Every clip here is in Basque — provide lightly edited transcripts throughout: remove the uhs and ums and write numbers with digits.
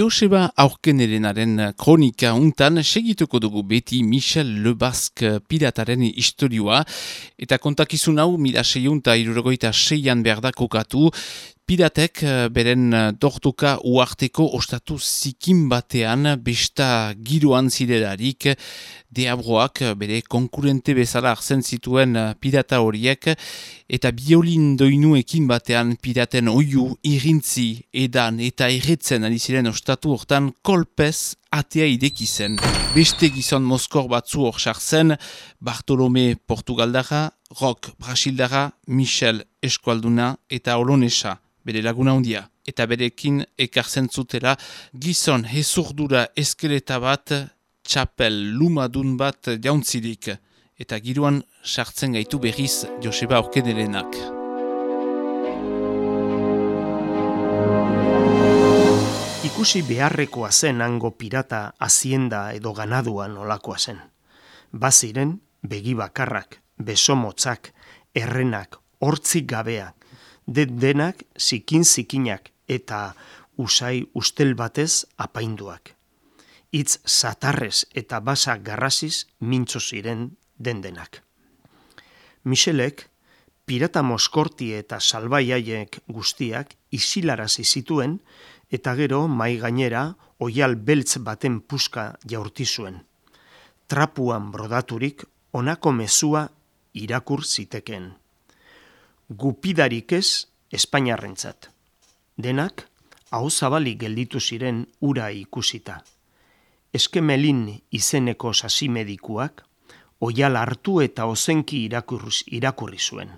Joseba Aurkenerenaren kronika untan segituko dugu beti Michel Lebasque pirataren istorioa eta kontakizun hau 1666an behar da kokatu. Piratek beren dortoka uarteko ostatu zikin batean besta giroan zirelarik deabroak bere konkurente bezala arzen zituen pirata horiek eta biolin doinuekin batean piraten oiu, irintzi, edan eta erretzen ari ziren ostatu hortan kolpez atea ideki zen. Beste gizon moskor batzu hor sartzen, Bartolome Portugaldara, Rock Brasildara, Michel Eskualduna eta Olonesa. Bere laguna hundia, eta berekin ekartzen zutela gizon hezurdura eskeleta bat, txapel lumadun bat jauntzirik, eta giroan sartzen gaitu berriz Joseba Aurkenerenak. Ikusi beharrekoa zen hango pirata hazienda edo ganaduan olakoa zen. Baziren begi bakarrak, besomotzak, errenak, hortzik gabeak, denak zikin-zikinak eta usai ustel batez apainduak. Hitz satarrez eta basa garrasiz mintzo ziren dendenak. Michelek pirata moskorti eta salbaiaiek guztiak isilarazi zituen eta gero mai gainera oial beltz baten puska jaurti zuen. Trapuan brodaturik honako mezua irakur zitekeen. Gupidarik ez Espainiarrentzat. Denak ahozabalik gelditu ziren ura ikusita. Eskemelin izeneko sasimedikuak oial hartu eta ozenki irakurri zuen.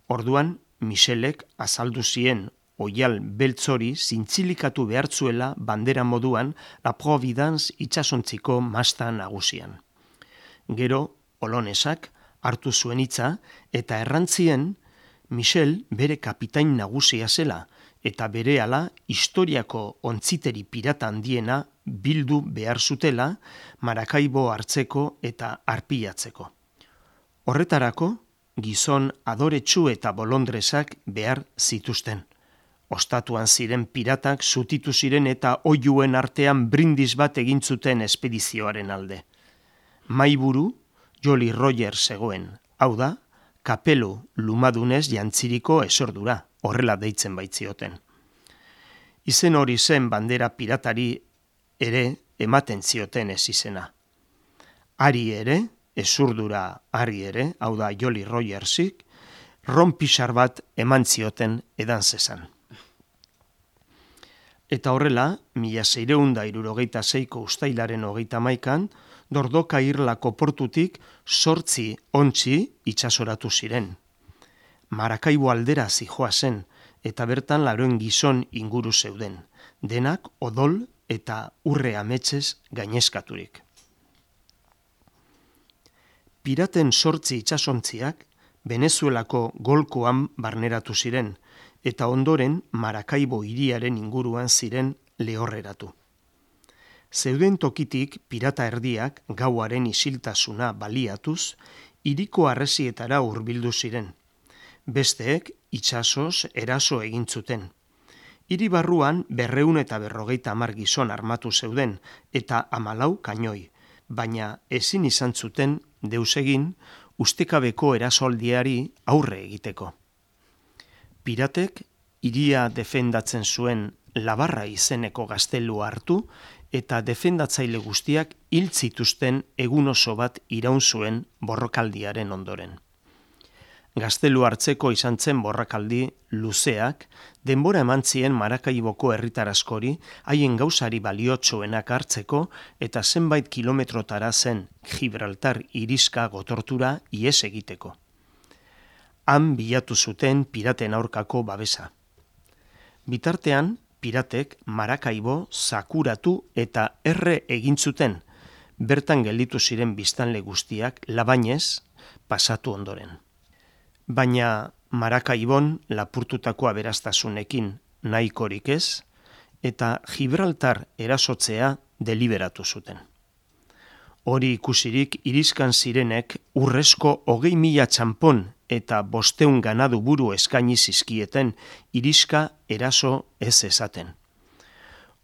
Orduan Michelek azaldu zien oial beltzori zintzilikatu behartzuela bandera moduan La Providence itsasontziko masta nagusian. Gero Olonesak hartu zuen hitza eta errantzien Michel bere kapitain nagusia zela eta berehala historiako ontziteri pirata handiena bildu behar zutela Maracaibo hartzeko eta arpilatzeko. Horretarako gizon adoretsu eta bolondresak behar zituzten. Ostatuan ziren piratak zutitu ziren eta oihuen artean brindis bat egin zuten espedizioaren alde. Mahaiburu Jolly Roger zegoen, hau da, kapelu lumadunez jantziriko esordura, horrela deitzen baitzioten. Izen hori zen bandera piratari ere ematen zioten ez izena. Ari ere, esurdura ari ere, hau da Jolly Rogersik, ronpixar bat eman zioten edan zezan. Eta horrela, 1666ko ustailaren 31an, Dordoka irlako portutik 8 ontzi itsasoratu ziren. Maracaibo aldera zijoa zen, eta bertan laroen gizon inguru zeuden, denak odol eta urre ametsez gainezkaturik. Piraten 8 itsasontziak Venezuelako golkoan barneratu ziren, eta ondoren Maracaibo hiriaren inguruan ziren lehorreratu. Zeuden tokitik pirata erdiak gauaren isiltasuna baliatuz, hiriko harresietara hurbildu ziren. Besteek itsasoz eraso egin zuten. Hiri barruan 250 gizon armatu zeuden eta 14 kanoi, baina ezin izan zuten deus egin ustekabeko erasoldiari aurre egiteko. Piratek hiria defendatzen zuen Labarra izeneko gaztelua hartu eta defendatzaile guztiak hil zituzten egun oso bat iraun zuen borrokaldiaren ondoren. Gaztelu hartzeko izan zen borrakaldi luzeak, denbora eman zien Maracaiboko herritar askori haien gauzari baliotsuenak hartzeko eta zenbait kilometrotara zen Gibraltar iriska gotortura ihes egiteko. Han bilatu zuten piraten aurkako babesa. Bitartean, piratek Maracaibo zakuratu eta erre egin zuten, bertan gelditu ziren biztanle guztiak labainez pasatu ondoren. Baina Maracaibon lapurtutako aberastasunekin nahikorik ez, eta Gibraltar erasotzea deliberatu zuten. Hori ikusirik iriskan zirenek urrezko 20.000 txanpon eta 500 ganadu buru eskaini zizkieten iriska eraso ez esaten.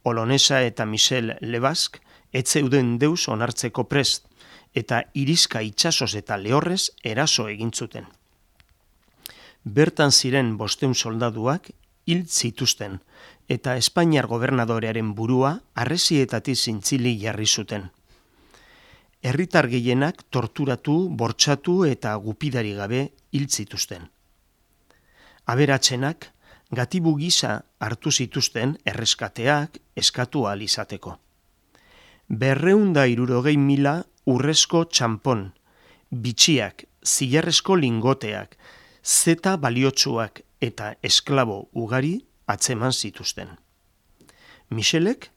Olonesa eta Michel Lebasque etzeuden deus onartzeko prest, eta irizka itsasoz eta lehorrez eraso egin zuten. Bertan ziren 500 soldaduak hil zituzten, eta Espainiar gobernadorearen burua harresietatik zintzili jarri zuten. Herritar gehienak torturatu, bortxatu eta gupidari gabe hil zituzten. Aberatsenak gatibu gisa hartu zituzten erreskateak eskatu ahal izateko. 260.000 urrezko txanpon, bitxiak, zilarrezko lingoteak, zeta baliotsuak eta esklabo ugari atzeman zituzten. Michelek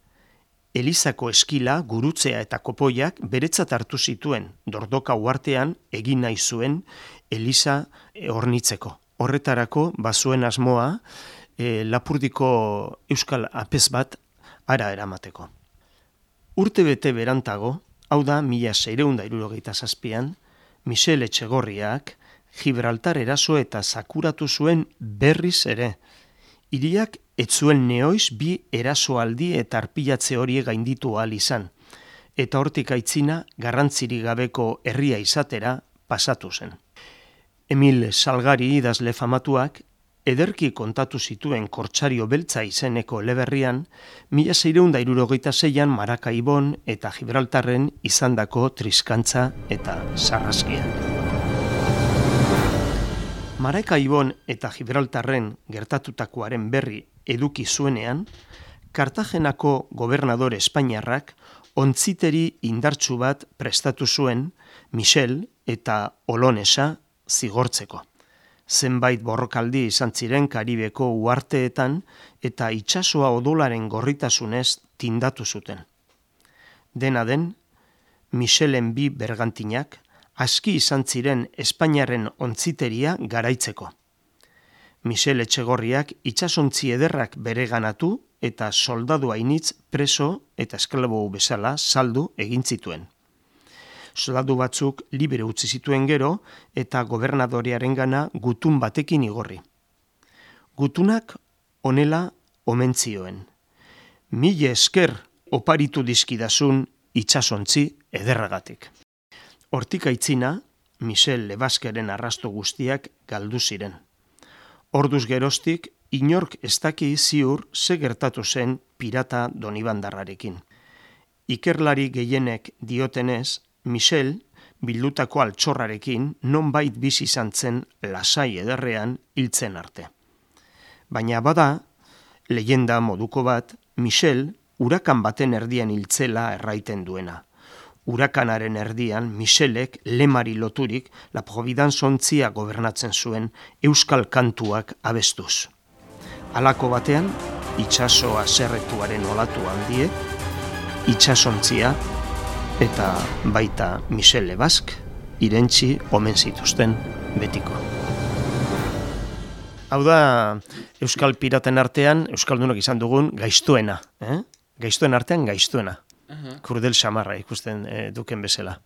Elizako eskila, gurutzea eta kopoiak beretzat hartu zituen Dordoka uhartean egin nahi zuen Eliza hornitzeko. Horretarako bazuen asmoa Lapurdiko euskal apez bat hara eramateko. Urtebete berantago, hau da 1667an, Michel Etxegorriak Gibraltar eraso eta sakuratu zuen berriz ere. Hiriak ez zuen neoiz bi erasoaldi eta arpilatze horiek gainditu ahal izan, eta hortik aitzina garrantzirik gabeko herria izatera pasatu zen. Emil Salgari idazle famatuak ederki kontatu zituen Kortsario beltza izeneko eleberrian 1666an Marakaibon eta Gibraltarren izandako triskantza eta sarraskiak. Marakaibon eta Gibraltarren gertatutakoaren berri eduki zuenean, Kartagenako gobernadore espainiarrak ontziteri indartsu bat prestatu zuen Michel eta Olonesa zigortzeko. Zenbait borrokaldi izan ziren Karibeko uharteetan eta itsasoa odolaren gorritasunez tindatu zuten. Dena den, Michelen bi bergantinak aski izan ziren Espainiarren ontziteria garaitzeko. Michel Etxegorriak itsasontzi ederrak bereganatu eta soldadu hainitz preso eta esklabo bezala saldu egin zituen. Soldadu batzuk libre utzi zituen gero eta gobernadorearengana gutun batekin igorri. Gutunak honela omen zioen: "Mila esker oparitu dizkidazun itsasontzi ederragatik." Hortik aitzina, Michel Lebasqueren arrasto guztiak galdu ziren. Orduz geroztik, inork ez daki ziur ze gertatu zen pirata Donibandarrarekin. Ikerlari gehienek diotenez, Michel bildutako altxorrarekin nonbait bizi izan zen lasai ederrean hiltzen arte. Baina bada, leyenda moduko bat, Michel urakan baten erdian hiltzela erraiten duena. Urakanaren erdian, Michelek lemari loturik La Providence ontzia gobernatzen zuen euskal kantuak abestuz. Halako batean, itsaso haserretuaren olatu handiek, itsasontzia eta baita Michel Lebasque irentzi omen zituzten betiko. Hau da, euskal piraten artean, euskaldunok izan dugun gaiztuena. Gaiztuen artean gaiztuena. Kurdel samarra ikusten duken bezala.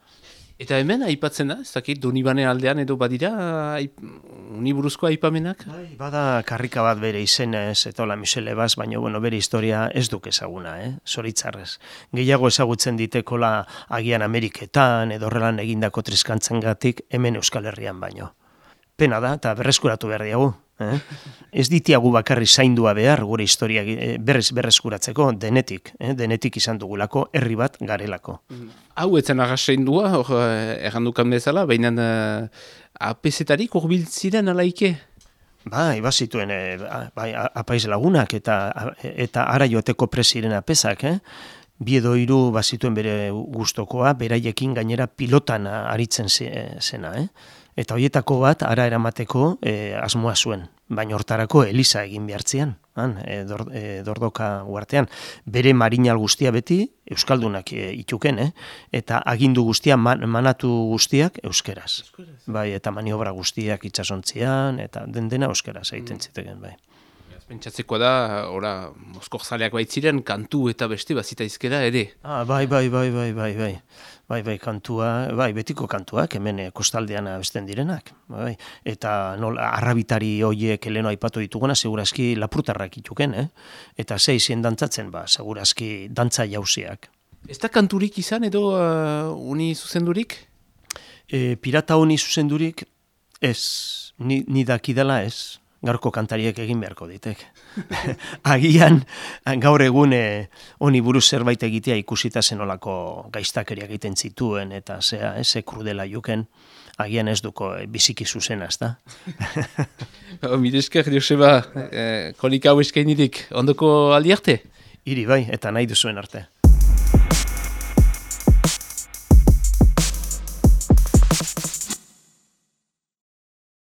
Eta hemen aipatzen da, ez dakit, Donibane aldean edo badira uniburuzko aipamenak? Bada karrika bat bere izenez, eta hola Michel Lebasque, baina bere historia ez duk ezaguna, zoritzarrez. Gehiago ezagutzen ditekola agian Ameriketan edo horrelan egindako triskantzangatik hemen Euskal Herrian baino. Pena da, eta berreskuratu behar diagu. Ez ditiagu bakarri zaindua behar gure historia berreskuratzeko denetik izan dugulako herri bat garelako. Hau etzen agasaindua, errandukan bezala, baina apezetarik urbiltziren alaike? Bai, bazituen apaiz lagunak eta ara joateko presiren apezak, bi edo hiru bazituen bere gustokoa, beraiekin gainera pilotan aritzen zena, Eta horietako bat ara eramateko asmoa zuen, baina hortarako Eliza egin behartzean, Dordoka uhartean. Bere marinal guztia beti euskaldunak ituken, eta agindu guztia, manatu guztiak euskeraz. Bai, eta maniobra guztiak itsasontzian, eta dena euskeraz egiten ziteken, bai. Pentsatzekoa da, ora, Moskorzaleak baitziren, kantu eta beste bazita izkera ere. Bai, kantua, betiko kantuak, hemen kostaldean abesten direnak. Bai. Eta nola, arrabitari hoiek eleno aipatu dituguna, segurazki lapurtarrak ituken, Eta zeizien dantzatzen, segurazki dantza jauziak. Ez da kanturik izan edo uni zuzendurik? Pirata honi zuzendurik, ez, ni dakidala ez. Gaurko kantariek egin beharko ditek. Agian, gaur egun honi buruz zerbait egitea ikusita zenolako gaiztakeria egiten zituen, eta ze krudela juken, agian ez duko biziki zuzena, ez da? Mire esker, Joseba, konika hau eskainirik, ondoko aldi arte? Hiri bai, eta nahi duzuen arte.